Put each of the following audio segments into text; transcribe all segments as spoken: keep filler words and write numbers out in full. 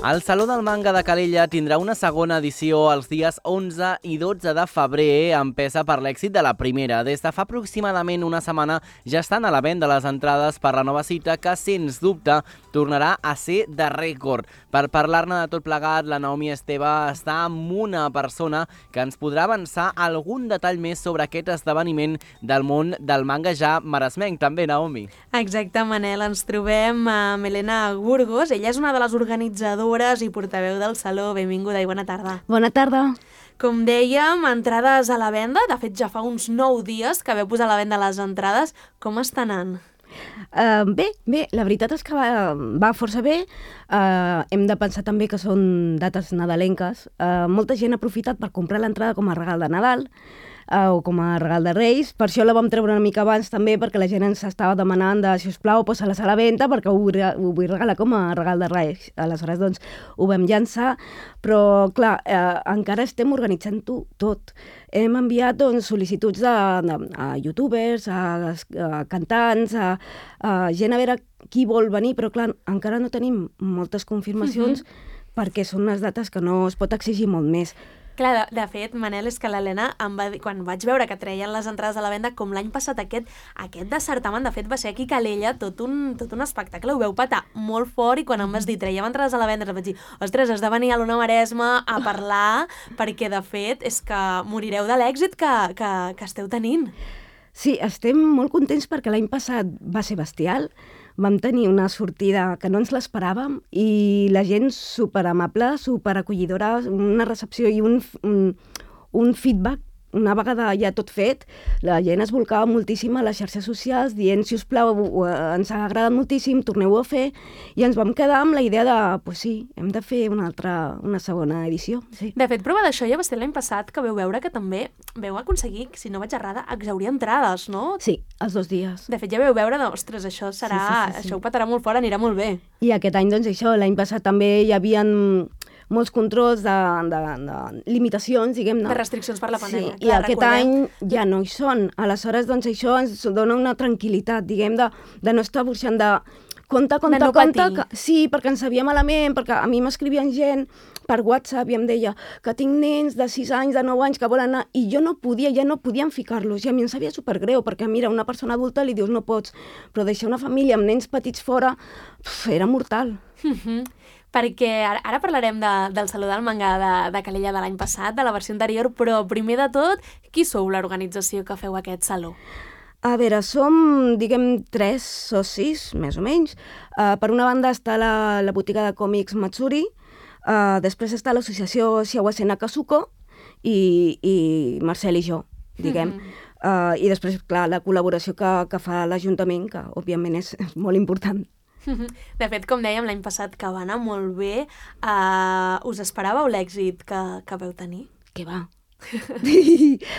El Saló del Manga de Calella tindrà una segona edició els dies onze i dotze de febrer, empesa per l'èxit de la primera. Des de fa aproximadament una setmana ja estan a la venda les entrades per la nova cita, que, sens dubte, tornarà a ser de rècord. Per parlar-ne de tot plegat, la Naomi Esteve està amb una persona que ens podrà avançar algun detall més sobre aquest esdeveniment del món del manga ja maresmenc. També, Naomi. Exacte, Manel. Ens trobem amb Helena Burgos. Ella és una de les organitzadores i portaveu del Saló. Benvinguda i bona tarda. Bona tarda. Com dèiem, entrades a la venda. De fet, ja fa uns nou dies que veu posar a la venda les entrades. Com està anant? Uh, bé, bé, la veritat és que va, va força bé. Uh, hem de pensar també que són dates nadalenques. Uh, molta gent ha aprofitat per comprar l'entrada com a regal de Nadal, uh, o com a regal de Reis. Per això la vam treure una mica abans també, perquè la gent ens estava demanant de, si us plau, posa-la a la venda, perquè ho vull, ho vull regalar com a regal de Reis. Aleshores, doncs, ho vam llançar, però, clar, uh, encara estem organitzant-ho tot. Hem enviat doncs, sol·licituds de, de, a youtubers, a, a cantants, a, a gent a veure qui vol venir, però clar, encara no tenim moltes confirmacions uh-huh. perquè són unes dates que no es pot exigir molt més. Clar, de, de fet, Manel, és que l'Helena, em va dir, quan vaig veure que treien les entrades a la venda, com l'any passat aquest, aquest de certamen, de fet, va ser aquí a Calella tot un, tot un espectacle, ho veu patar molt fort, i quan em vas dir, traiem entrades a la venda, em vaig dir, ostres, has de venir a l'Ona Maresma a parlar, perquè, de fet, és que morireu de l'èxit que, que, que esteu tenint. Sí, estem molt contents perquè l'any passat va ser bestial. Vam tenir una sortida que no ens l'esperàvem i la gent superamable, superacollidora, una recepció i un, un, un feedback. Una vegada ja tot fet, la gent es volcava moltíssim a les xarxes socials dient, si us plau, ens ha agradat moltíssim, torneu-ho a fer, i ens vam quedar amb la idea de, pues sí, hem de fer una altra, una segona edició. Sí. De fet, prova d'això ja va ser l'any passat, que veu veure que també veu aconseguir, si no vaig errada, exaurir entrades, no? Sí, els dos dies. De fet, ja veu veure, ostres, això serà, sí, sí, sí, sí. això ho patarà molt fort, anirà molt bé. I aquest any, doncs això, l'any passat també hi havia molts controls de, de, de limitacions, diguem-ne. De restriccions per la pandèmia. Sí, clar, i aquest recordem... any ja no hi són. Aleshores, doncs, això ens dona una tranquil·litat, diguem, de, de no estar burxant de compte, compte, no compte. Que, sí, perquè ens sabia malament, perquè a mi m'escrivien gent per WhatsApp i em deia que tinc nens de sis anys, de nou anys, que volen anar, i jo no podia, ja no podien ficar-los, i a mi em sabia supergreu, perquè mira, una persona adulta li dius no pots, però deixar una família amb nens petits fora, uf, era mortal. Mhm. Perquè ara, ara parlarem de, del Saló del Manga de, de Calella de l'any passat, de la versió anterior, però primer de tot, qui sou l'organització que feu aquest saló? A veure, som, diguem, tres socis, més o menys. Uh, per una banda està la, la botiga de còmics Matsuri, uh, després està l'associació Shiawase Nakasuko i, i Marcel i jo, diguem. Mm-hmm. uh, I després, clar, la col·laboració que, que fa l'Ajuntament, que òbviament és, és molt important. De fet, com dèiem, l'any passat que va anar molt bé, uh, us esperàveu l'èxit que, que veu tenir? Què va?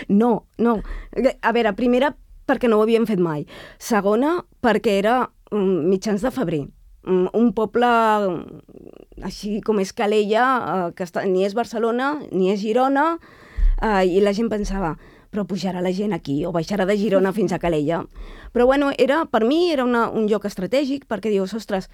No, no. A veure, primera, perquè no ho havíem fet mai. Segona, perquè era um, mitjans de febrer. Um, un poble um, així com és Calella, uh, que està, ni és Barcelona, ni és Girona, uh, i la gent pensava, però pujarà la gent aquí o baixarà de Girona fins a Calella. Però bueno, era, per mi era una, un lloc estratègic perquè dius, ostres,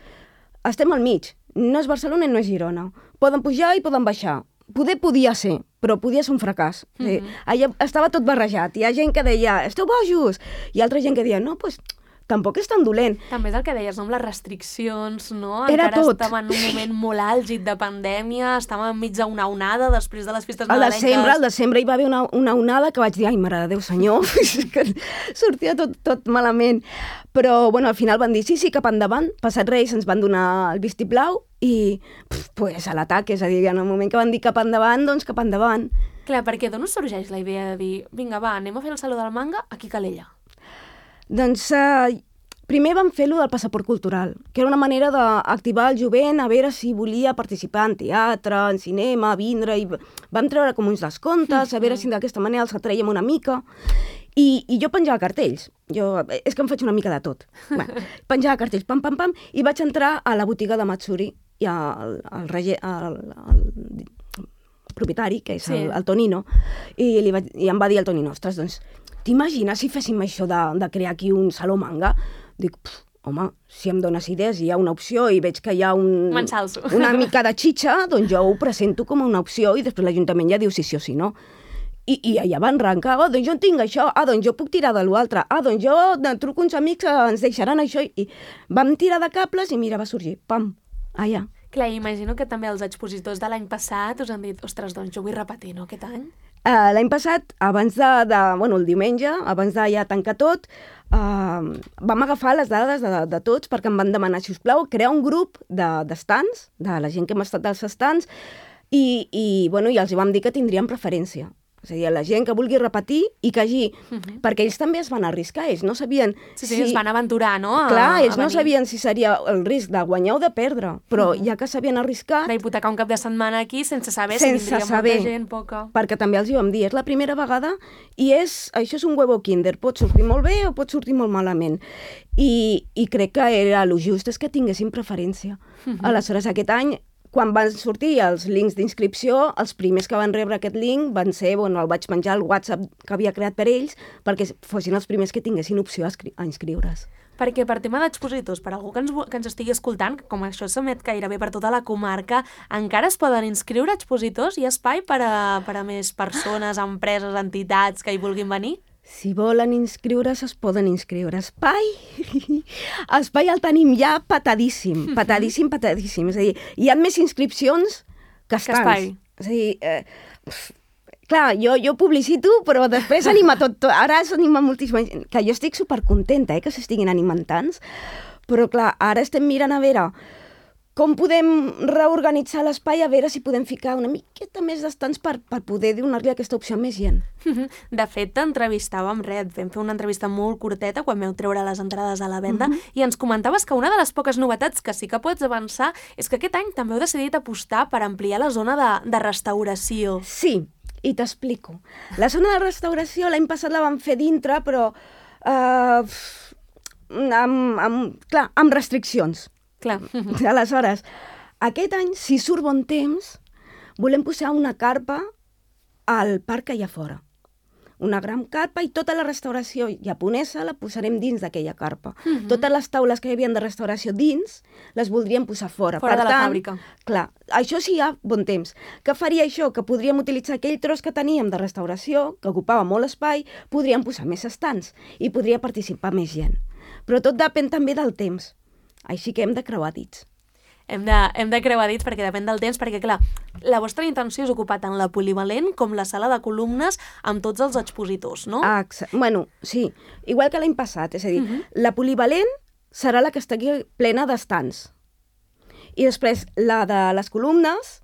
estem al mig, no és Barcelona i no és Girona. Poden pujar i poden baixar. Poder podia ser, però podia ser un fracàs. Mm-hmm. Sí, allà estava tot barrejat. Hi ha gent que deia, esteu bojos, i altra gent que deia, no, doncs... Pues, tampoc és tan dolent. També és el que deies, no? Amb les restriccions, no? Era Encara tot. estàvem en un moment molt àlgid de pandèmia, estàvem enmig d'una onada després de les festes al nadalenques. Desembre, al desembre hi va haver una, una onada que vaig dir, ai, mare de Déu, senyor, que sortia tot, tot malament. Però, bueno, al final van dir, sí, sí, cap endavant. Passat Reis ens van donar el vistiplau i, pf, pues, a l'atac, és a dir, en el moment que van dir cap endavant, doncs cap endavant. Clar, perquè d'on us sorgeix la idea de dir, vinga, va, anem a fer el Saló del Manga aquí a Calella? Doncs eh, primer vam fer-lo del passaport cultural, que era una manera d'activar el jovent a veure si volia participar en teatre, en cinema, vindre, i vam treure com uns descomptes, a veure si d'aquesta manera els atraiem una mica. I, i jo penjava cartells. Jo, és que em faig una mica de tot. Bueno, penjava cartells, pam, pam, pam, i vaig entrar a la botiga de Matsuri i al, al, rege, al, al propietari, que és el, el Tonino, i, li vaig, i em va dir el Tonino, ostres, doncs, t'imagines si féssim això de, de crear aquí un saló manga? Dic, home, si em dones idees i hi ha una opció i veig que hi ha un, M'ensalzo. una mica de xitxa, doncs jo ho presento com una opció i després l'Ajuntament ja diu si sí o si no. I, i allà van arrencar, oh, doncs jo en tinc això, ah, doncs jo puc tirar de l'altre, ah, doncs jo truco uns amics que ens deixaran això, i vam tirar de cables i mira, va sorgir, pam, allà. Clar, imagino que també els expositors de l'any passat us han dit, ostres, doncs jo vull repetir, no, aquest any? Uh, L'any passat, abans de, de, bueno, el diumenge, abans de ja tancar tot, uh, vam agafar les dades de, de tots perquè em van demanar, si us plau, crear un grup d'estants, de, de la gent que hem estat als estants, i, i, bueno, i els hi vam dir que tindrien preferència. És a dir, la gent que vulgui repetir i que hagi... Uh -huh. Perquè ells també es van arriscar, ells no sabien... Sí, sí, si... es van aventurar, no? A, Clar, ells a no sabien si seria el risc de guanyar o de perdre, però uh -huh. ja que s'havien arriscat... D'hipotecar un cap de setmana aquí sense saber sense si vindria saber, molta gent, poca... Perquè també els hi vam dir, és la primera vegada i és, això és un huevo kinder, pot sortir molt bé o pot sortir molt malament. I, i crec que era el just és que tinguessin preferència. Uh -huh. Aleshores, aquest any... Quan van sortir els links d'inscripció, els primers que van rebre aquest link van ser, bueno, el vaig penjar al WhatsApp que havia creat per ells, perquè fossin els primers que tinguessin opció a, a inscriure's. Perquè per tema d'expositors, per algú que ens, que ens estigui escoltant, com això s'emet gairebé per tota la comarca, encara es poden inscriure expositors? Hi ha espai per a, per a més persones, empreses, entitats que hi vulguin venir? Si volen inscriure's, es poden inscriure. Espai? Espai el tenim ja patadíssim, patadíssim, patadíssim. És a dir, hi ha més inscripcions que estants. Que espai. És a dir, eh, clar, jo, jo publicito, però després anima tot, tot. Ara s'anima moltíssima gent. Que jo estic supercontenta, eh, que s'estiguin animant tants, però clar, ara estem mirant a veure com podem reorganitzar l'espai, a veure si podem ficar una miqueta més d'estants per, per poder donar-li aquesta opció a més gent. De fet, t'entrevistàvem, Red, vam fer una entrevista molt curteta quan vau treure les entrades a la venda, uh -huh. i ens comentaves que una de les poques novetats que sí que pots avançar és que aquest any també heu decidit apostar per ampliar la zona de, de restauració. Sí, i t'explico. La zona de restauració l'any passat la vam fer dintre, però uh, amb, amb, clar, amb restriccions. Clar. Aleshores, aquest any, si surt bon temps, volem posar una carpa al parc que hi ha fora. Una gran carpa i tota la restauració japonesa la posarem dins d'aquella carpa. Uh -huh. Totes les taules que hi havia de restauració dins les voldríem posar fora. Fora per de tant, la fàbrica. Clar, això sí hi ha bon temps. Què faria això? Que podríem utilitzar aquell tros que teníem de restauració, que ocupava molt espai, podríem posar més estants i podria participar més gent. Però tot depèn també del temps. Així que hem de creuar dits. Hem de, hem de creuar dits perquè depèn del temps, perquè clar, la vostra intenció és ocupar tant la polivalent com la sala de columnes amb tots els expositors, no? Ah, bueno, sí, igual que l'any passat, és a dir, uh -huh. la polivalent serà la que estigui plena d'estants. I després la de les columnes,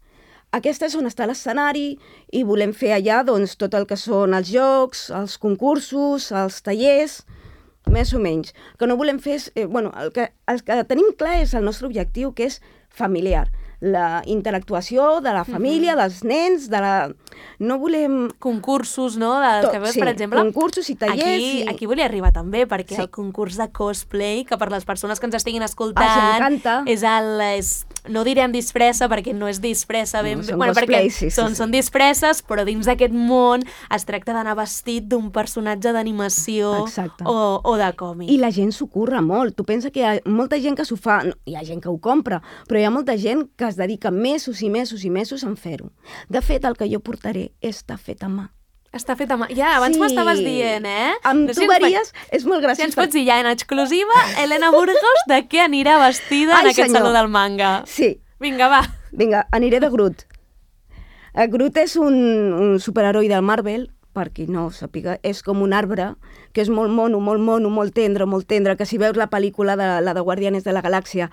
aquesta és on està l'escenari i volem fer allà doncs, tot el que són els jocs, els concursos, els tallers, més o menys. Que no volem fer... És, eh, bueno, el que, el que tenim clar és el nostre objectiu, que és familiar. La interactuació de la família, uh -huh. dels nens, de la... No volem... Concursos, no? De, Tot, que veus, sí, per exemple... concursos i tallers... Aquí, i... aquí volia arribar també, perquè sí. el concurs de cosplay, que per les persones que ens estiguin escoltant... Ah, m'encanta. És el... És, no direm disfressa, perquè no és disfressa ben no, bé... Són Bueno, cosplay, perquè sí, sí, són, sí. són disfresses, però dins d'aquest món es tracta d'anar vestit d'un personatge d'animació o, o de còmic. I la gent s'ho curra molt. Tu pensa que hi ha molta gent que s'ho fa... No, hi ha gent que ho compra, però hi ha molta gent que es dedica mesos i mesos i mesos en fer-ho. De fet, el que jo portaré està fet a mà. Està fet a mà. Ja, abans sí. m'estaves dient, eh? Amb no tu veries, és molt graciós. Si ens pots dir ja en exclusiva, Helena Burgos, de què anirà vestida Ai, en aquest senyor. Saló del Manga? Sí. Vinga, va. Vinga, aniré de Groot. Groot és un, un superheroi del Marvel, per qui no ho sàpiga, és com un arbre, que és molt mono, molt mono, molt tendre, molt tendre, que si veus la pel·lícula de la de Guardianes de la Galàxia,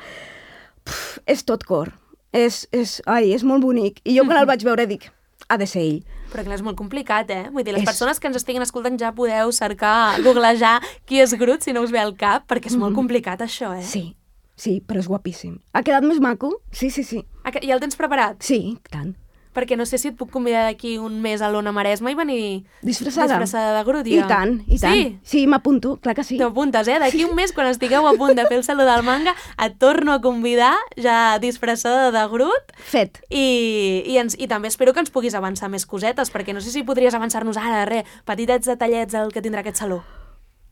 puf, és tot cor. És, és, ai, és molt bonic. I jo quan el vaig veure dic, ha de ser ell. Però clar, és molt complicat, eh? Vull dir, les és... persones que ens estiguin escoltant ja podeu cercar, googlejar qui és Groot si no us ve al cap, perquè és molt complicat això, eh? Sí, sí, però és guapíssim. Ha quedat més maco? Sí, sí, sí. Ja el tens preparat? Sí, tant. Perquè no sé si et puc convidar d'aquí un mes a l'Ona Maresma i venir disfressada, disfressada de Groot. Ja. I tant, i tant. Sí, sí m'apunto, clar que sí. T'apuntes, eh? D'aquí un mes, quan estigueu a punt de fer el Saló del Manga, et torno a convidar ja disfressada de Groot. Fet. I, i, ens, I també espero que ens puguis avançar més cosetes, perquè no sé si podries avançar-nos ara, res, petitets detallets del que tindrà aquest saló.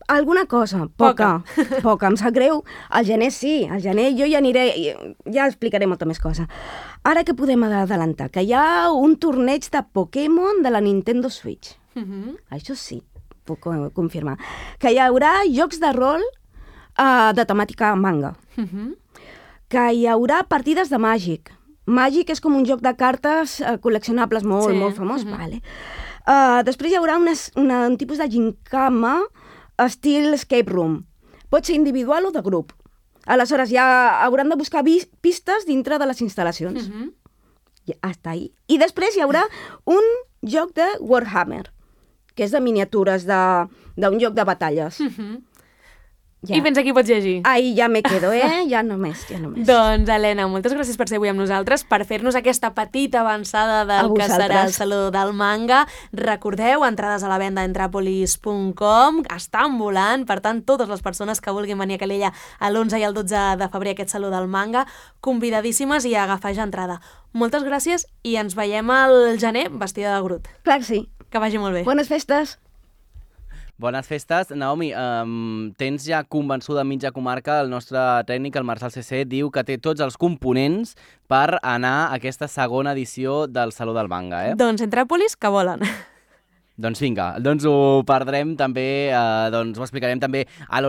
Alguna cosa, poca, poca, poca. Em sap greu. Al gener sí, al gener jo ja aniré, ja explicaré molta més cosa. Ara que podem adelantar? Que hi ha un torneig de Pokémon de la Nintendo Switch. Uh -huh. Això sí, puc confirmar. Que hi haurà jocs de rol uh, de temàtica manga. Uh -huh. Que hi haurà partides de Màgic. Màgic és com un joc de cartes uh, col·leccionables molt, sí. molt famós. Uh -huh. Vale. Uh, després hi haurà una, una, un tipus de gincama estil escape room. Pot ser individual o de grup. Aleshores, ja hauran de buscar pistes dintre de les instal·lacions. Uh -huh. Ja, hasta ahí. I després hi haurà un joc de Warhammer, que és de miniatures, d'un joc de batalles. Uh -huh. Ja. I fins aquí pots llegir. Ahí ja me quedo, eh? Ja només, ja només. Doncs, Helena, moltes gràcies per ser avui amb nosaltres, per fer-nos aquesta petita avançada del que serà el Saló del Manga. Recordeu, entrades a la venda a entrapolis punt com, estan volant, per tant, totes les persones que vulguin venir a Calella l'onze i el dotze de febrer a aquest Saló del Manga, convidadíssimes i a agafar ja entrada. Moltes gràcies i ens veiem al gener vestida de Groot. Clar que sí. Que vagi molt bé. Bones festes. Bones festes. Naomi, um, tens ja convençuda mitja comarca, el nostre tècnic, el Marçal C C, diu que té tots els components per anar a aquesta segona edició del Saló del Manga, eh? Doncs Entràpolis, que volen. Doncs vinga, doncs ho perdrem també, eh, doncs ho explicarem també a